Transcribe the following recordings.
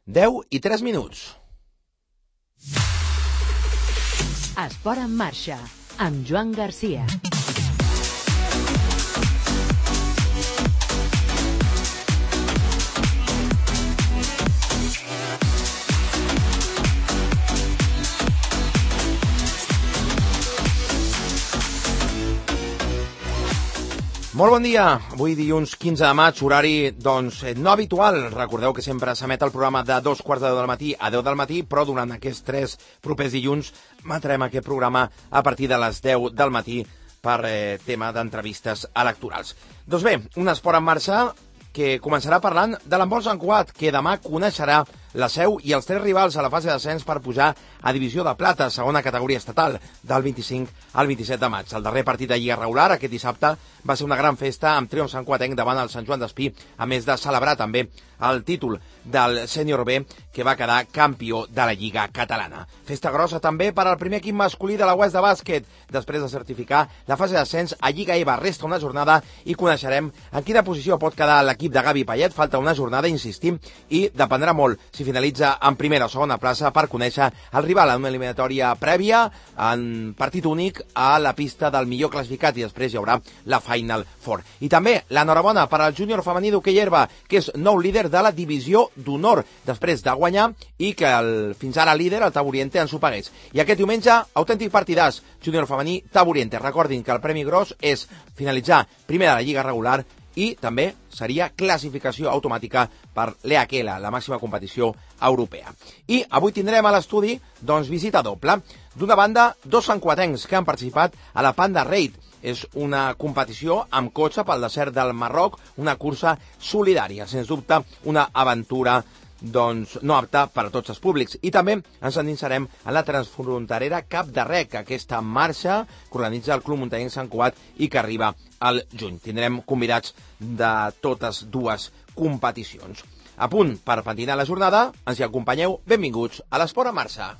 10:03. Esport en marxa, amb Joan Garcia. Molt bon dia, avui dilluns 15 de maig, horari no habitual. Recordeu que sempre s'emet el programa de 2:15 del matí a 10 del matí, però durant aquests 3 propers dilluns emetrem aquest programa a partir de les 10 del matí per tema d'entrevistes electorals. Doncs bé, un esport en marxa que començarà parlant de l'handbol Sant Cugat, que demà coneixerà la Seu i els 3 rivals a la fase d'ascens per pujar a divisió de plata, segona categoria estatal, del 25 al 27 de maig. El darrer partit de Lliga regular, aquest dissabte, va ser una gran festa amb triomf santcuatenc davant el Sant Joan d'Espí, a més de celebrar també el títol del sènior B, que va quedar campió de la Lliga catalana. Festa grossa també per al primer equip masculí de la West de bàsquet. Després de certificar la fase d'ascens a Lliga EVA, resta una jornada i coneixerem en quina posició pot quedar l'equip de Gavi Payet. Falta una jornada, insistim, i dependrà molt si finalitza en primera o segona plaça per conèixer el rival en una eliminatòria prèvia en partit únic a la pista del millor classificat, i després hi haurà la Final Four. I també l'enhorabona per al júnior femení d'hoquei herba, que és nou líder de la divisió d'honor, després de guanyar i que fins ara líder, el Taburiente, ens ho pagués. I aquest diumenge, autèntic partidàs, júnior femení Taburiente. Recordin que el premi gros és finalitzar primer de la Lliga regular i també seria classificació automàtica per l'EHL, la màxima competició europea. I avui tindrem a l'estudi, visita doble. D'una banda, 2 santcuatencs que han participat a la Panda Raid. És una competició amb cotxe pel desert del Marroc, una cursa solidària, sens dubte una aventura no apta per a tots els públics. I també ens endinsarem en la transfronterera Cap de Rec, aquesta marxa que organitza el Club Muntanyenc Sant Cugat i que arriba al juny. Tindrem convidats de totes dues competicions. A punt per patinar la jornada, ens hi acompanyeu. Benvinguts a l'Esport en marxa.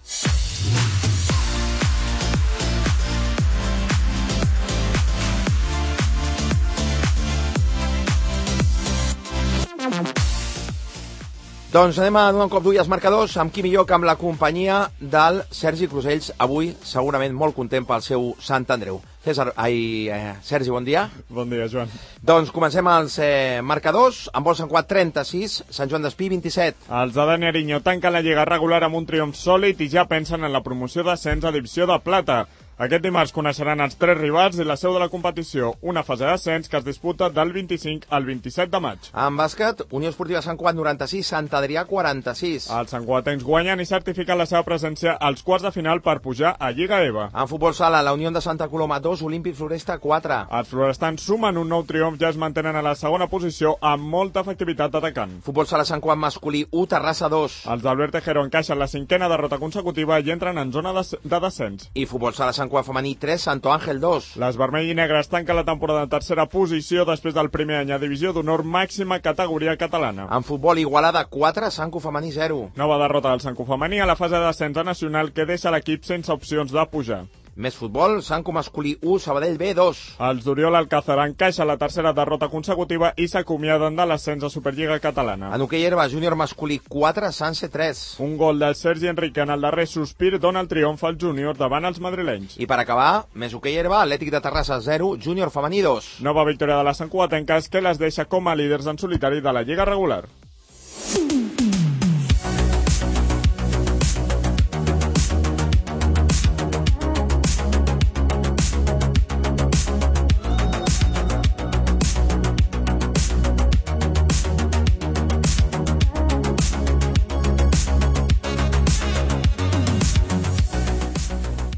Doncs anem a donar un cop d'ull als marcadors, amb qui millor que amb la companyia del Sergi Crusells, avui segurament molt content pel seu Sant Andreu. Sergi, bon dia. Bon dia, Joan. Doncs comencem els marcadors. Handbol Sant Cugat 36, Sant Joan d'Espí 27. Els de Dani Ariño tanquen la Lliga regular amb un triomf sòlid i ja pensen en la promoció d'ascens a divisió de plata. Aquest dimarts coneixeran els 3 rivals i la seu de la competició, una fase d'ascens que es disputa del 25 al 27 de maig. En bàsquet, Unió Esportiva Sant Cugat 96, Sant Adrià 46. Els santcuatencs guanyen i certifiquen la seva presència als quarts de final per pujar a Lliga EVA. En futbol sala, la Unió de Santa Coloma 2, Olímpic Floresta 4. Els florestans sumen un nou triomf, ja es mantenen a la segona posició amb molta efectivitat atacant. Futbol sala Sant Cugat masculí 1, Terrassa 2. Els d'Albert Tejero encaixen la 5a derrota consecutiva i entren en zona de descens. I futbol sala Sant Cugat femení 3, Santo Ángel 2. Les vermell i negres tanquen la temporada en tercera posició després del primer any a divisió d'honor, màxima categoria catalana. En futbol, Igualada 4, Sanco femení 0. Nova derrota del Sanco femení a la fase d'ascens nacional que deixa l'equip sense opcions de pujar. Més futbol, Sanco masculí 1, Sabadell B 2. Els d'Oriol Alcázar encaixen la tercera derrota consecutiva i s'acomiaden de l'ascens a Superliga catalana. En hoquei herba, júnior masculí 4, Sanse 3. Un gol del Sergi Enrique en el darrer sospir dona el triomf al júnior davant els madrilenys. I per acabar, més hoquei herba, Atlètic de Terrassa 0, júnior femení 2. Nova victòria de les santcuatenques que les deixa com a líders en solitari de la Lliga regular.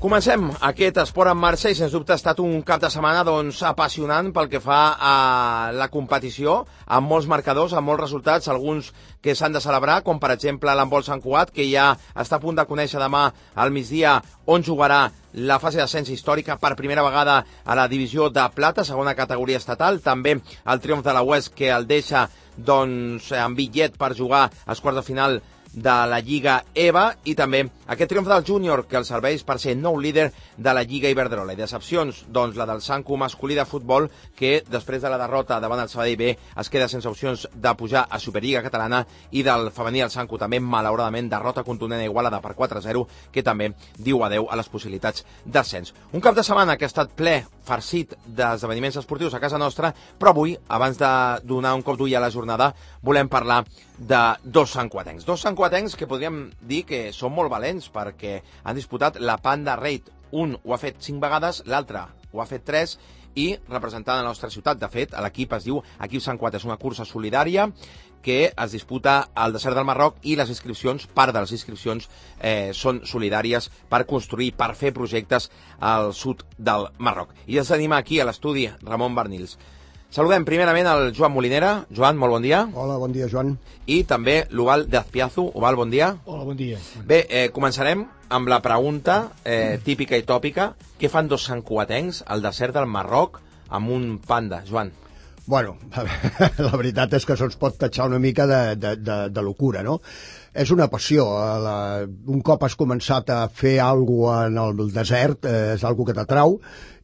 Comencem aquest esport en marxa i sens dubte ha estat un cap de setmana apassionant pel que fa a la competició, amb molts marcadors, amb molts resultats, alguns que s'han de celebrar, com per exemple l'handbol Sant Cugat, que ja està a punt de conèixer demà al migdia on jugarà la fase d'ascens històrica per primera vegada a la divisió de plata, segona categoria estatal. També el triomf de la West, que el deixa amb bitllet per jugar als quarts de final de la Lliga EVA i també aquest triomf del júnior que el serveix per ser nou líder de la Lliga Iberdrola. I decepcions, doncs la del Sanco masculí de futbol que després de la derrota davant el Sabadell B es queda sense opcions de pujar a Superliga Catalana i del femení el Sanco també malauradament derrota contundent a Igualada per 4-0 que també diu adeu a les possibilitats d'ascens. Un cap de setmana que ha estat ple, farcit d'esdeveniments esportius a casa nostra, però avui, abans de donar un cop d'ull a la jornada, volem parlar de dos santcuatencs. Dos santcuatencs que podríem dir que són molt valents perquè han disputat la Panda Raid. Un ho ha fet 5 vegades, l'altre ho ha fet 3 i representant la nostra ciutat. De fet, l'equip es diu Equip Sant Cuat, és una cursa solidària que es disputa al desert del Marroc i les inscripcions, part de les inscripcions, són solidàries per construir, per fer projectes al sud del Marroc. I ens tenim aquí a l'estudi Ramon Barnils. Saludem primerament el Joan Molinera. Joan, molt bon dia. Hola, bon dia, Joan. I també l'Uval de Azpiazu. Uval, bon dia. Hola, bon dia. Bé, començarem amb la pregunta típica i tòpica. Què fan dos santcuatencs al desert del Marroc amb un panda, Joan? Bueno, la veritat és que se'ns pot tatxar una mica de locura, no? És una passió. Un cop has començat a fer alguna cosa en el desert, és alguna que t'atrau,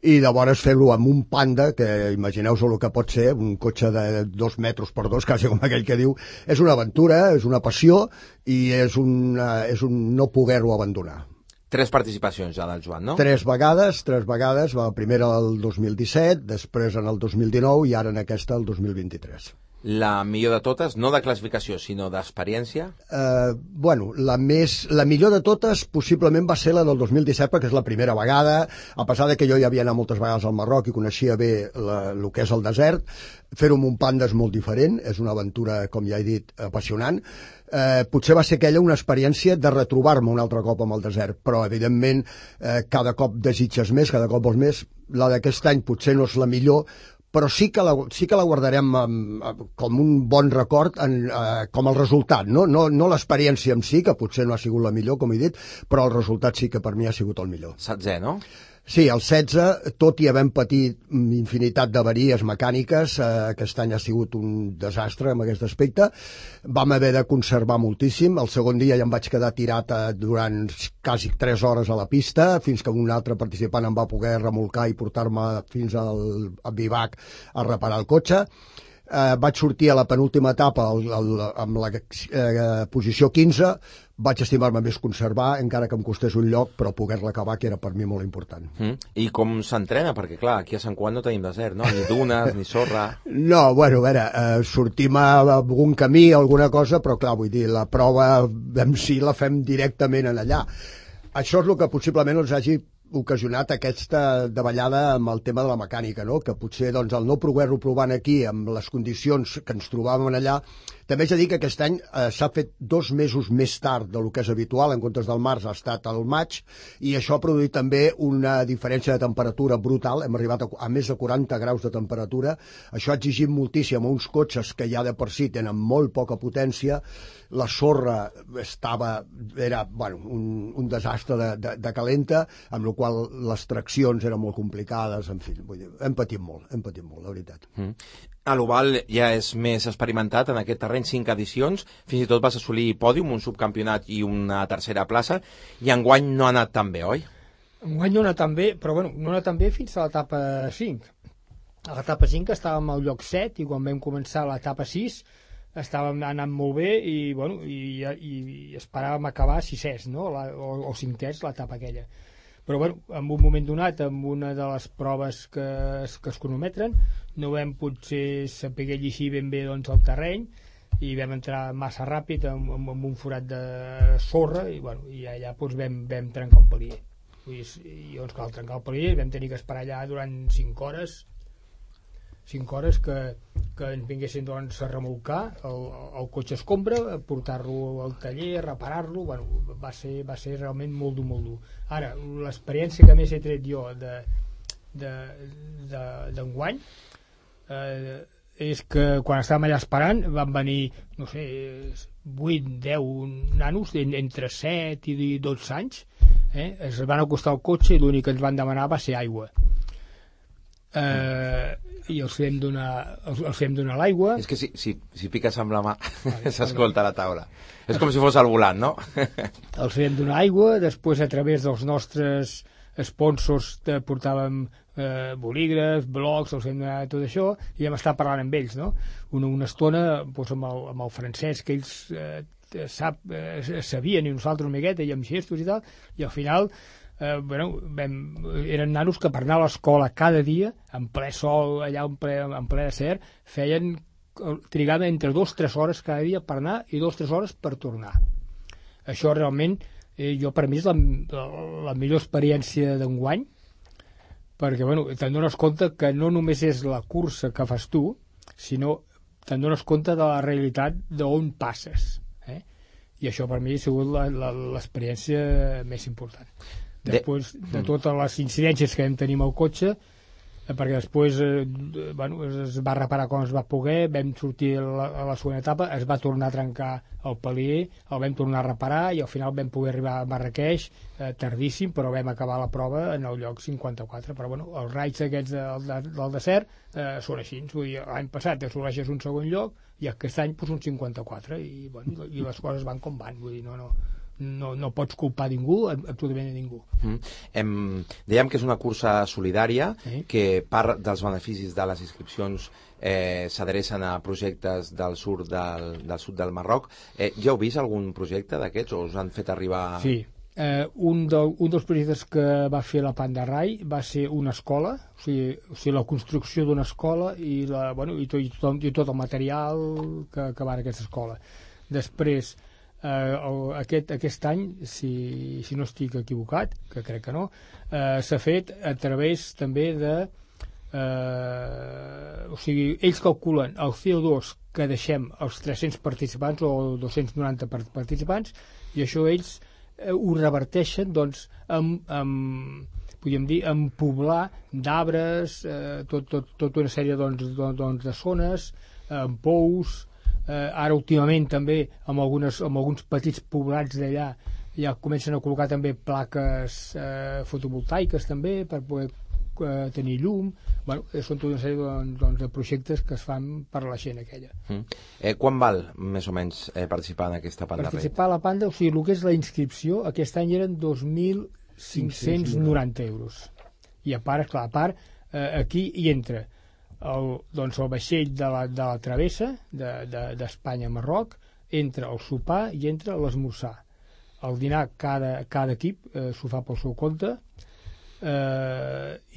i llavors fer-ho amb un panda, que imagineu-vos el que pot ser, un cotxe de 2 metres per 2, quasi com aquell que diu, és una aventura, és una passió, i és un no poder-ho abandonar. 3 participacions ja del Joan, no? 3 vegades, la primera el 2017, després en el 2019 i ara en aquesta el 2023. La millor de totes, no de classificació, sinó d'experiència? Bueno, la millor de totes possiblement va ser la del 2017 perquè és la primera vegada, a pesar de que jo ja havia anat moltes vegades al Marroc i coneixia bé el que és el desert, fer-ho amb un panda és molt diferent, és una aventura, com ja he dit, apassionant. Potser va ser aquella una experiència de retrobar-me un altre cop amb el desert, però evidentment cada cop desitges més, cada cop vols més. La d'aquest any potser no és la millor, però sí que la guardarem com un bon record com el resultat, no l'experiència en si, que potser no ha sigut la millor, com he dit, però el resultat sí que per mi ha sigut el millor. 16, no? Sí, el 16, tot i havent patit infinitat d'avaries mecàniques, aquest any ha sigut un desastre en aquest aspecte, vam haver de conservar moltíssim. El segon dia ja em vaig quedar tirat durant quasi 3 hores a la pista, fins que un altre participant em va poder remolcar i portar-me fins al bivac a reparar el cotxe. Vaig sortir a la penúltima etapa amb la posició 15, vaig estimar-me més conservar, encara que em costés un lloc, però poder-la acabar, que era per mi molt important. I com s'entrena? Perquè, clar, aquí a Sant Cuat no tenim desert, no? Ni dunes, ni sorra... No, bueno, a veure, sortim a algun camí, alguna cosa, però clar, vull dir, la prova en si la fem directament en allà. Això és el que possiblement ens hagi ocasionat aquesta davallada amb el tema de la mecànica, no? Que potser doncs, el no poder-ho provant aquí amb les condicions que ens trobàvem allà. També és a dir que aquest any s'ha fet 2 mesos més tard del que és habitual, en comptes del març ha estat al maig, i això ha produït també una diferència de temperatura brutal. Hem arribat a més de 40 graus de temperatura. Això ha exigit moltíssim a uns cotxes que ja de per si tenen molt poca potència. La sorra era un desastre de calenta, amb la qual les traccions eren molt complicades, en fi, vull dir, hem patit molt, la veritat. A l'Oval ja és més experimentat en aquest terreny, 5 edicions, fins i tot vas assolir pòdium, un subcampionat i una tercera plaça, i enguany no ha anat tan bé, oi? Enguany no ha anat tan bé, però bueno, no ha anat tan bé fins a l'etapa 5. A l'etapa 5 estàvem al lloc 7 i quan vam començar l'etapa 6 estàvem anant molt bé i, bueno, i esperàvem acabar 6è, no? o 5è, l'etapa aquella. Però bueno, en un moment donat, amb una de les proves que es cronometren, no vam potser saber llegir ben bé doncs, el terreny i vam entrar massa ràpid amb un forat de sorra i, bueno, i allà doncs, vam trencar un palier. I doncs, cal trencar el palier, vam tenir que esperar allà durant 5 hores que ens vinguessin doncs, a remolcar el cotxe escombra, portar-lo al taller, reparar-lo. Bueno, va ser realment molt dur. Ara, l'experiència que més he tret jo d'enguany és que quan estàvem allà esperant van venir, no sé, 8, 10 nanos entre 7 i 12 anys, es van acostar al cotxe i l'únic que ens van demanar va ser aigua. i els fem donar l'aigua. És que si piques amb la mà s'escolta a la taula. És com si fos al volant, no? Els fem donar aigua, després a través dels nostres sponsors portàvem bolígrafs, blocs, els fem donar tot això, i vam estar parlant amb ells, no? Una estona doncs, amb el francès, que ells sabien, i nosaltres una miqueta, i amb gestos i tal, i al final eren nanos que per anar a l'escola cada dia, en ple sol, allà en ple desert, trigaven entre 2 o 3 hores cada dia per anar i 2 o 3 hores per tornar. Això realment, per mi és la millor experiència d'enguany, perquè te'n dones compte que no només és la cursa que fas tu, sinó te'n dones compte de la realitat d'on passes. I això per mi ha sigut l'experiència més important. Després de totes les incidències que vam tenir amb el cotxe, perquè després es va reparar com es va poder, vam sortir a la segona etapa, es va tornar a trencar el palier, el vam tornar a reparar i al final vam poder arribar a Marràqueix tardíssim, però vam acabar la prova en el lloc 54. Però els raids aquests del desert són així. L'any passat assoleixes un segon lloc i aquest any un 54 i les coses van com van. Vull dir, no pots culpar ningú, absolutament ningú. Dèiem que és una cursa solidària, que part dels beneficis de les inscripcions s'adrecen a projectes del sud del Marroc. Ja heu vist algun projecte d'aquests o us han fet arribar... Sí, un dels projectes que va fer la Panda Rai va ser una escola, o sigui la construcció d'una escola i tot el material que va en aquesta escola. Després, aquest any, si no estic equivocat, que crec que no, s'ha fet a través també de... o sigui, ells calculen el CO2 que deixem als 300 participants o 290 participants i això ells ho reverteixen podríem dir, en poblar d'arbres, tota una sèrie de zones, en pous. Ara últimament també amb alguns petits poblats d'allà ja comencen a col·locar també plaques fotovoltaiques també per poder tenir llum. Són tota una sèrie de projectes que es fan per a la gent aquella. Quan val més o menys participar en aquesta Panda Rai? Participar a la Panda, o sigui, el que és la inscripció aquest any eren 2.590 euros i a part, aquí hi entra el vaixell de la travessa d'Espanya a Marroc, entra el sopar i entra l'esmorzar. El dinar cada equip s'ho fa pel seu compte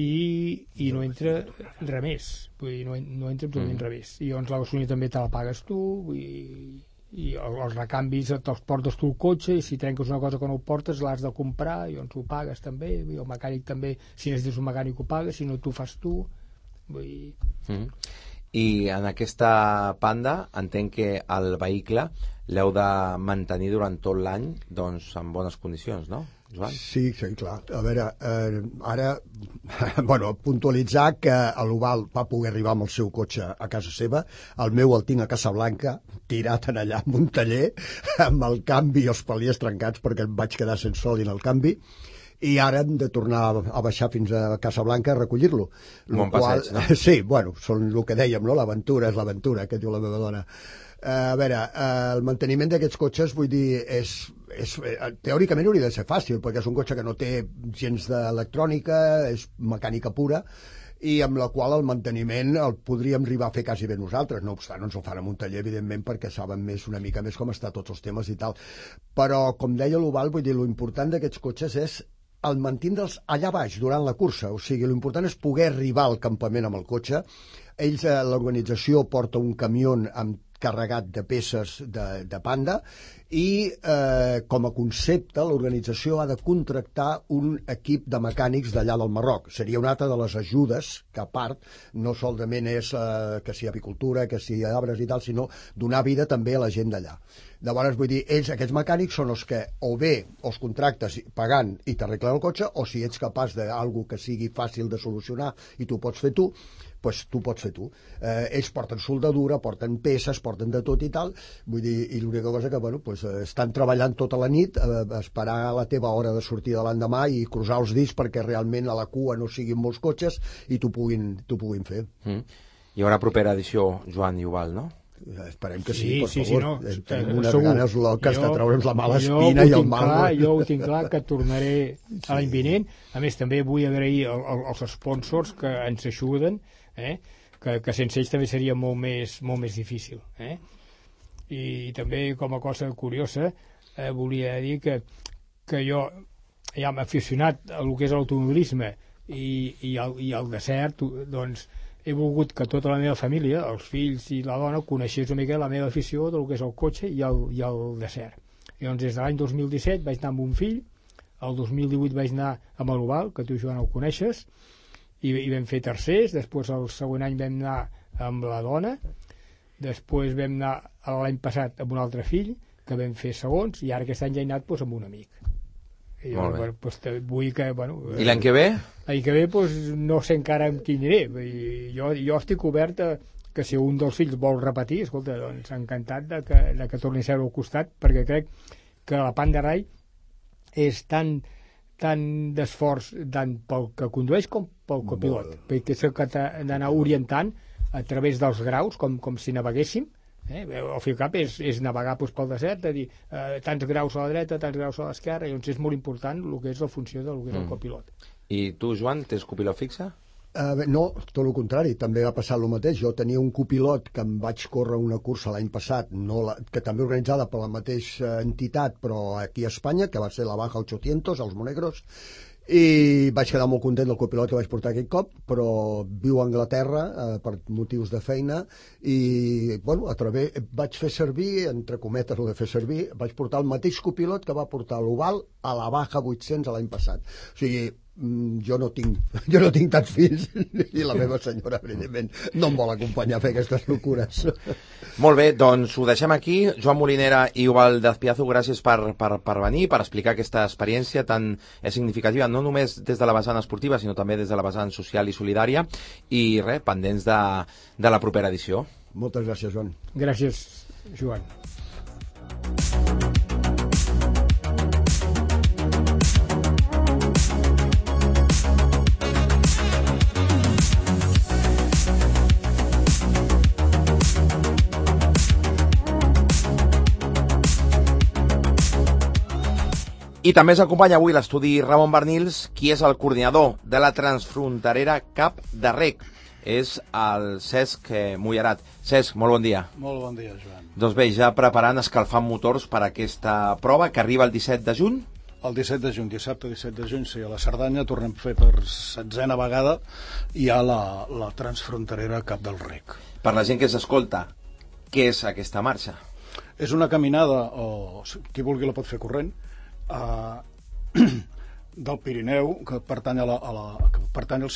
i no entra res més, vull dir, no entra absolutament res més. I llavors la gasolina també te la pagues tu i els recanvis te'ls portes tu el cotxe i si trenques una cosa que no ho portes l'has de comprar i llavors ho pagues també, el mecànic també, si necessites un mecànic ho paga, si no tu fas tu. I en aquesta Panda entenc que el vehicle l'heu de mantenir durant tot l'any en bones condicions, no, Joan? Sí, clar. A veure, ara puntualitzar que l'Oval va poder arribar amb el seu cotxe a casa seva, el meu el tinc a Casablanca, tirat en allà en un taller, amb el canvi i els paliers trencats perquè em vaig quedar sense sol en el canvi, i ara hem de tornar a baixar fins a Casablanca a recollir-lo. Bon passeig, no? Sí, són el que dèiem, no? L'aventura és l'aventura, que diu la meva dona. A veure, el manteniment d'aquests cotxes, vull dir, teòricament hauria de ser fàcil, perquè és un cotxe que no té gens d'electrònica, és mecànica pura, i amb la qual el manteniment el podríem arribar a fer quasi bé nosaltres. No obstant, ens ho fan en un taller, evidentment, perquè saben una mica més com està tots els temes i tal. Però, com deia l'Oval, vull dir, l'important d'aquests cotxes és el mantindre'ls allà baix durant la cursa. O sigui, l'important és poder arribar al campament amb el cotxe. Ells, l'organització, porta un camió carregat de peces de Panda i com a concepte l'organització ha de contractar un equip de mecànics d'allà del Marroc. Seria una altra de les ajudes que a part no solament és que si apicultura, que si arbres i tal, sinó donar vida també a la gent d'allà. Llavors, vull dir, aquests mecànics són els que o bé els contractes pagant i t'arreglen el cotxe, o si ets capaç d'algú que sigui fàcil de solucionar i tu pots fer tu, doncs tu pots fer tu. Ells porten soldadura, porten peces, porten de tot i tal, vull dir, i l'única cosa que, bueno, doncs, estan treballant tota la nit a esperar la teva hora de sortir de l'endemà i cruzar els dits perquè realment a la cua no siguin molts cotxes i t'ho puguin fer. Hi haurà propera edició, Joan i Eudald, no? Esperem que sí, per favor. Sí, no, tenim unes ganes loques de treure'ns la mala espina i el mal. Jo ho tinc clar que tornaré l'any vinent. A més, també vull agrair als sponsors que ens ajuden, que sense ells també seria molt més difícil. I també, com a cosa curiosa, volia dir que jo ja m'he aficionat a el que és l'automobilisme i al desert, doncs he volgut que tota la meva família, els fills i la dona, coneixés una mica la meva afició del que és el cotxe i el desert. I doncs des de l'any 2017 vaig anar amb un fill, el 2018 vaig anar amb l'Oval, que tu, Joan, el coneixes, i vam fer tercers, després el següent any vam anar amb la dona, després vam anar l'any passat amb un altre fill, que vam fer segons, i ara aquest any ja he anat doncs, amb un amic. I jo, doncs, vull que, bueno, I l'any que ve? L'any que ve doncs, no sé encara amb qui aniré. Jo estic obert que si un dels fills vol repetir, escolta, doncs encantat de que torni a seure al costat, perquè crec que la Panda Rai és tan d'esforç tant pel que condueix com pel copilot, perquè és el que t'ha d'anar orientant a través dels graus, com si naveguéssim. El FICAP és navegar pel desert, de dir tants graus a la dreta, tants graus a l'esquerra, i doncs és molt important el que és la funció del que és el copilot. I tu, Joan, tens copilot fixe? No, tot el contrari, també va passar el mateix. Jo tenia un copilot que em vaig córrer una cursa l'any passat, que també organitzada per la mateixa entitat, però aquí a Espanya, que va ser la Baja 800, els Monegros, i vaig quedar molt content del copilot que vaig portar aquell cop, però viu a Anglaterra per motius de feina i, bueno, vaig fer servir, entre cometes el de fer servir, vaig portar el mateix copilot que va portar l'Oval a la Baja 800 l'any passat. O sigui, jo no tinc tants fills i la meva senyora, evidentment, no em vol acompanyar a fer aquestes locures. Molt bé, doncs ho deixem aquí. Joan Molinera i Eudald D'Azpiazu, gràcies per venir, per explicar aquesta experiència tan significativa, no només des de la vessant esportiva, sinó també des de la vessant social i solidària, i res, pendents de la propera edició. Moltes gràcies, Joan. Gràcies, Joan. I també s'acompanya avui l'estudi Ramon Barnils, qui és el coordinador de la transfronterera Cap de Rec. És el Cesc Mullerat. Cesc, molt bon dia. Molt bon dia, Joan. Doncs bé, ja preparant, escalfant motors per a aquesta prova que arriba el 17 de juny. El 17 de juny, dissabte 17 de juny, sí, a la Cerdanya tornem a fer per 16a vegada i a la transfronterera Cap del Rec. Per la gent que s'escolta, què és aquesta marxa? És una caminada, o qui vulgui la pot fer corrent, del Pirineu, que pertany al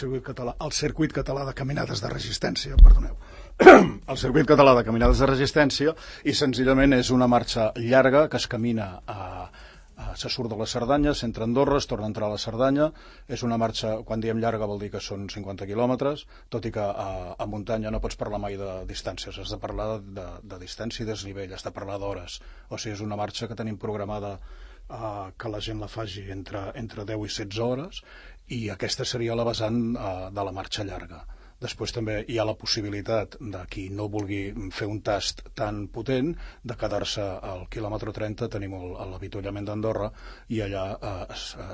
circuit català de caminades de resistència, perdoneu. El circuit català de caminades de resistència, i senzillament és una marxa llarga que es camina se surt de la Cerdanya, s'entra a Andorra, es torna a entrar a la Cerdanya. És una marxa, quan diem llarga vol dir que són 50 quilòmetres, tot i que a muntanya no pots parlar mai de distàncies, has de parlar de distància i desnivell, has de parlar d'hores. O sigui, és una marxa que tenim programada que la gent la faci entre 10 i 16 hores, i aquesta seria la vessant de la marxa llarga. Després també hi ha la possibilitat de qui no vulgui fer un tast tan potent de quedar-se al quilòmetre 30, tenim l'avituallament d'Andorra, i allà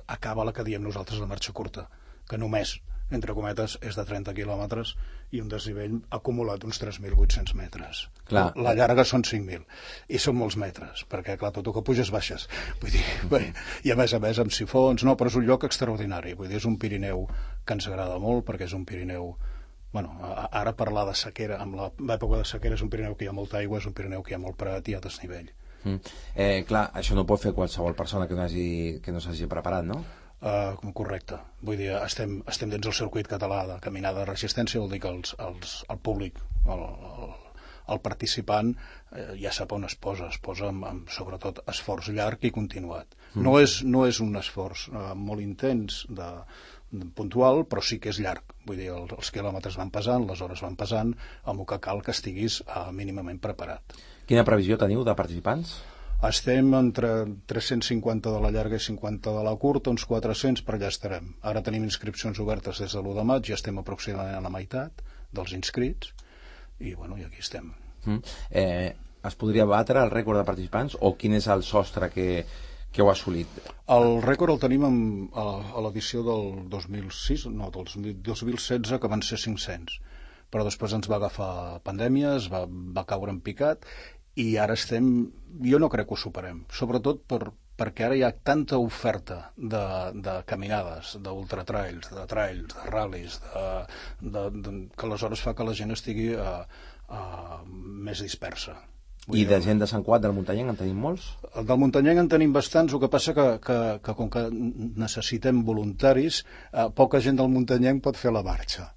acaba la que diem nosaltres la marxa curta, que només, entre cometes, és de 30 quilòmetres i un desnivell acumulat d'uns 3.800 metres. Clar. La llarga són 5.000, i són molts metres, perquè, clar, tot el que puges baixes. Vull dir, bé, i a més amb sifons, no, però és un lloc extraordinari. Vull dir, és un Pirineu que ens agrada molt, perquè és un Pirineu... Bueno, ara parlar de sequera, amb l'època de sequera, és un Pirineu que hi ha molta aigua, és un Pirineu que hi ha molt prat i hi ha desnivell. Clar, això no pot fer qualsevol persona que no s'hagi preparat, no? Correcte. Vull dir, estem dins del circuit català de caminada de resistència, vol dir que el públic, el participant ja sap on es posa amb sobretot esforç llarg i continuat. No és un esforç molt intens puntual, però sí que és llarg. Vull dir, els quilòmetres van pesant, les hores van pesant, amb el que cal que estiguis mínimament preparat. Quina previsió teniu de participants? Estem entre 350 de la llarga i 50 de la curta, uns 400, per allà estarem. Ara tenim inscripcions obertes des de l'1 de maig, ja estem aproximadament a la meitat dels inscrits, i i aquí estem. Es podria batre el rècord de participants, o quin és el sostre que heu assolit? El rècord el tenim a l'edició del 2016, que van ser 500, però després ens va agafar pandèmia, va caure en picat, i ara jo no crec que ho superem, sobretot perquè ara hi ha tanta oferta de caminades, d'ultratrails, de trails, de ral·lis, que aleshores fa que la gent estigui més dispersa. I de gent de Sant Cugat, del Muntanyenc, en tenim molts? Del Muntanyenc en tenim bastants, el que passa que com que necessitem voluntaris, poca gent del Muntanyenc pot fer la marxa.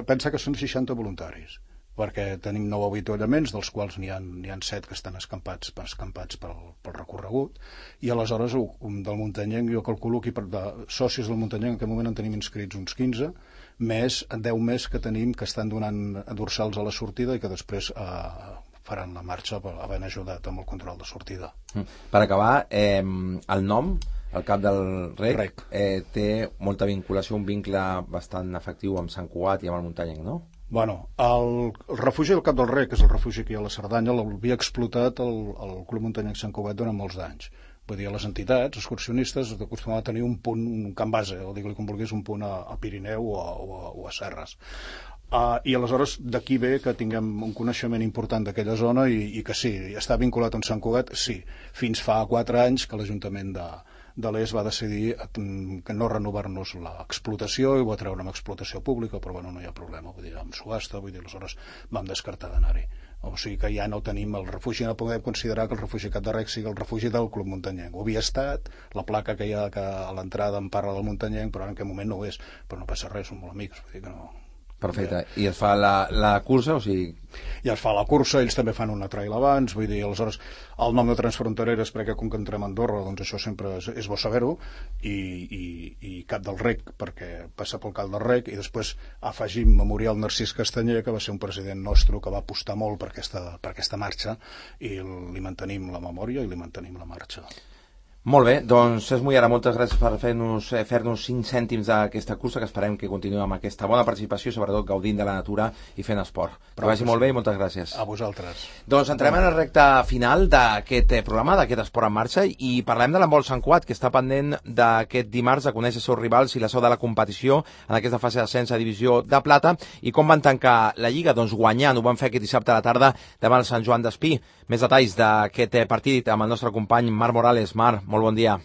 Pensa que són 60 voluntaris, perquè tenim 9 avituallaments, dels quals n'hi ha 7 que estan escampats pel recorregut, i aleshores del Muntanyenc jo calculo que de socis del Muntanyenc en aquest moment en tenim inscrits uns 15, més 10 més que tenim que estan donant dorsals a la sortida i que després faran la marxa havent ajudat amb el control de sortida. Per acabar, el nom, el Cap del Rec, té molta vinculació, un vincle bastant efectiu amb Sant Cugat i amb el Muntanyenc, no? Bueno, el refugi del Cap del Rec, que és el refugi que hi ha a la Cerdanya, l'havia explotat el Club Muntanyenc Sant Cugat durant molts d'anys. Vull dir, les entitats excursionistes acostumaven a tenir un punt, un camp base, o digue-li com vulguis, un punt a Pirineu o a Serres. I aleshores d'aquí ve que tinguem un coneixement important d'aquella zona i que sí, està vinculat amb Sant Cugat, sí. Fins fa 4 anys que l'Ajuntament de l'Est va decidir que no renovar-nos l'explotació i ho va treure amb explotació pública, però no hi ha problema, vull dir, amb subhasta, aleshores vam descartar d'anar-hi. O sigui que ja no tenim el refugi, no podem considerar que el refugi Cap de Rec sigui el refugi del Club Muntanyenc. Ho havia estat, la placa que hi ha a l'entrada en parla del Muntanyenc, però en aquest moment no ho és, però no passa res, som molt amics, vull dir que no. Perfecte. I es fa la cursa, o sigui... Ja es fa la cursa, ells també fan una trail abans, vull dir, aleshores el nom de Transfrontereres, perquè com que entrem a Andorra, doncs això sempre és bo saber-ho, i Cap del Rec, perquè passa pel Cap del Rec, i després afegim Memorial Narcís Castanyer, que va ser un president nostre que va apostar molt per aquesta marxa, i li mantenim la memòria i li mantenim la marxa. Molt bé, doncs Cesc Mullera, moltes gràcies per fer-nos 5 cèntims d'aquesta cursa, que esperem que continuï amb aquesta bona participació, sobretot gaudint de la natura i fent esport. Que vagi molt bé i moltes gràcies. A vosaltres. Doncs entrem en la recta final d'aquest programa, d'aquest Esport en Marxa, i parlem de l'handbol Sant Cugat, que està pendent d'aquest dimarts de conèixer els seus rivals i la seu de la competició en aquesta fase d'ascens a divisió de plata. I com van tancar la Lliga? Doncs guanyant, ho van fer aquest dissabte a la tarda davant el Sant Joan d'Espí. Més detalls d'aquest partit amb el nostre company Marc Morales. Marc, molt bon dia.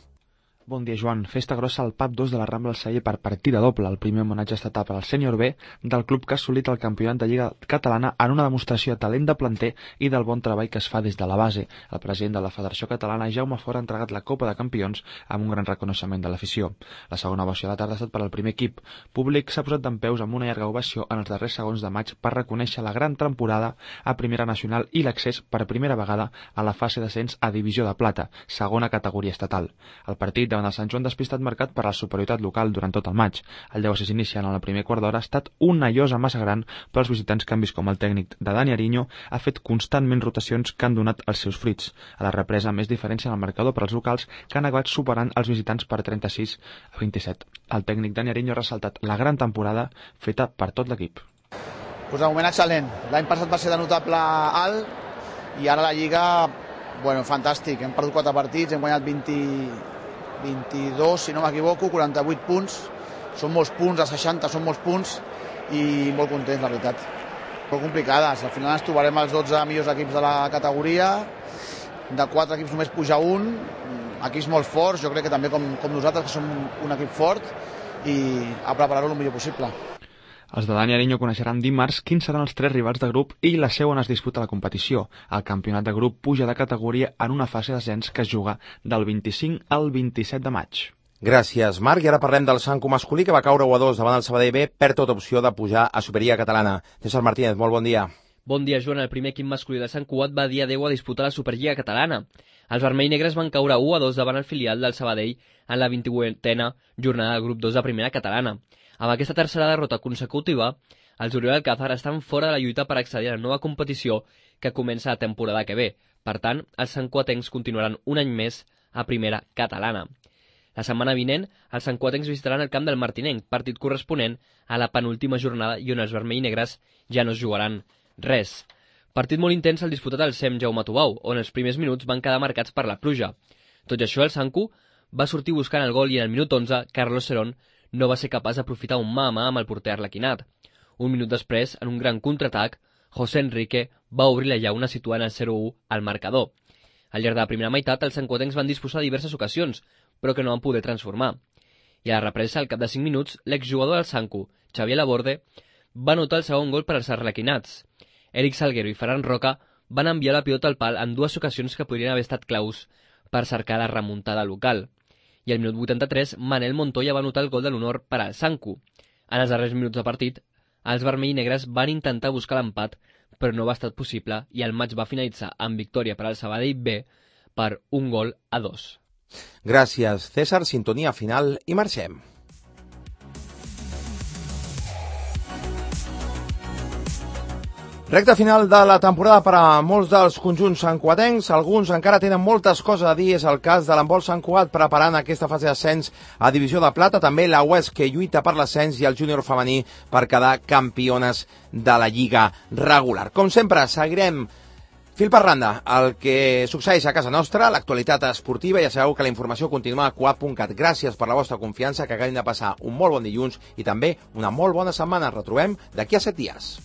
Bon dia, Joan. Festa grossa al PAP 2 de la Rambla del Celler per partida doble. El primer homenatge estatal per al sènior B del club que ha assolit el campionat de Lliga Catalana en una demostració de talent de planter i del bon treball que es fa des de la base. El president de la Federació Catalana, Jaume Fora, ha entregat la Copa de Campions amb un gran reconeixement de l'afició. La segona ovació de la tarda ha estat per al primer equip. Públic s'ha posat dempeus amb una llarga ovació en els darrers segons de maig per reconèixer la gran temporada a Primera Nacional i l'accés per primera vegada a la fase d'ascens a Divisió de Plata, segona categoria estatal. El partit davant el Sant Joan d'Espí ha estat marcat per la superioritat local durant tot el maig. El 10-6 iniciant en el primer quart d'hora ha estat una llosa massa gran per als visitants que han vist com el tècnic de Dani Ariño ha fet constantment rotacions que han donat els seus fruits. A la represa, més diferència en el marcador per als locals que han acabat superant els visitants per 36-27. El tècnic Dani Ariño ha ressaltat la gran temporada feta per tot l'equip. Pues de moment excel·lent. L'any passat va ser de notable alt i ara la Lliga, bueno, fantàstic. Hem perdut 4 partits, hem guanyat 22, si no m'equivoco, 48 punts. Són molts punts, a 60 són molts punts i molt contents, la veritat. Molt complicades. Al final ens trobarem els 12 millors equips de la categoria. De 4 equips només puja un. Equips molt forts, jo crec que també com nosaltres, que som un equip fort, i a preparar-ho el millor possible. Els de Dani Ariño coneixeran dimarts quins seran els 3 rivals de grup i la seu on es disputa la competició. El campionat de grup puja de categoria en una fase d'ascens que es juga del 25 al 27 de maig. Gràcies, Marc. I ara parlem del Sanco masculí, que va caure 1-2 davant el Sabadell B, perd tota opció de pujar a Superliga Catalana. César Martínez, molt bon dia. Bon dia, Joan. El primer equip masculí de Sant Cugat va dir adeu a disputar la Superliga catalana. Els vermells negres van caure 1-2 davant el filial del Sabadell en la 28a jornada del grup 2 de primera catalana. Amb aquesta tercera derrota consecutiva, els Oriol Alcázar estan fora de la lluita per accedir a la nova competició que comença la temporada que ve. Per tant, els santcuatencs continuaran un any més a primera catalana. La setmana vinent, els santcuatencs visitaran el camp del Martinenc, partit corresponent a la penúltima jornada i on els vermells negres ja no es jugaran res. Partit molt intens el disputat al SEM Jaume Tubau, on els primers minuts van quedar marcats per la pluja. Tot i això, el Sancu va sortir buscant el gol i en el minut 11, Carlos Serón no va ser capaç d'aprofitar un mà a mà amb el porter arlequinat. Un minut després, en un gran contraatac, José Enrique va obrir la llauna situant el 0-1 al marcador. Al llarg de la primera meitat, els santcuatencs van disposar diverses ocasions, però que no van poder transformar. I a la represa, al cap de 5 minuts, l'exjugador del Sancu, Xavier Laborde, va anotar el segon gol per als arlequinats. Eric Salguero i Ferran Roca van enviar la pilota al pal en dues ocasions que podrien haver estat claus per cercar la remuntada local. I al minut 83, Manel Montoya va anotar el gol de l'honor per al Sancu. En els darrers minuts de partit, els vermells negres van intentar buscar l'empat, però no va estar possible i el maig va finalitzar amb victòria per al Sabadell B per 1-2. Gràcies, César. Sintonia final i marxem. Recta final de la temporada per a molts dels conjunts santcuatencs. Alguns encara tenen moltes coses a dir. És el cas de l'handbol Sant Cugat preparant aquesta fase d'ascens a Divisió de Plata. També la UES, que lluita per l'ascens, i el júnior femení per quedar campiones de la Lliga regular. Com sempre, seguirem fil per randa el que succeeix a casa nostra, l'actualitat esportiva. Ja sabeu que la informació continua a cugat.cat. Gràcies per la vostra confiança, que acabin de passar un molt bon dilluns i també una molt bona setmana. Ens retrobem d'aquí a 7 dies.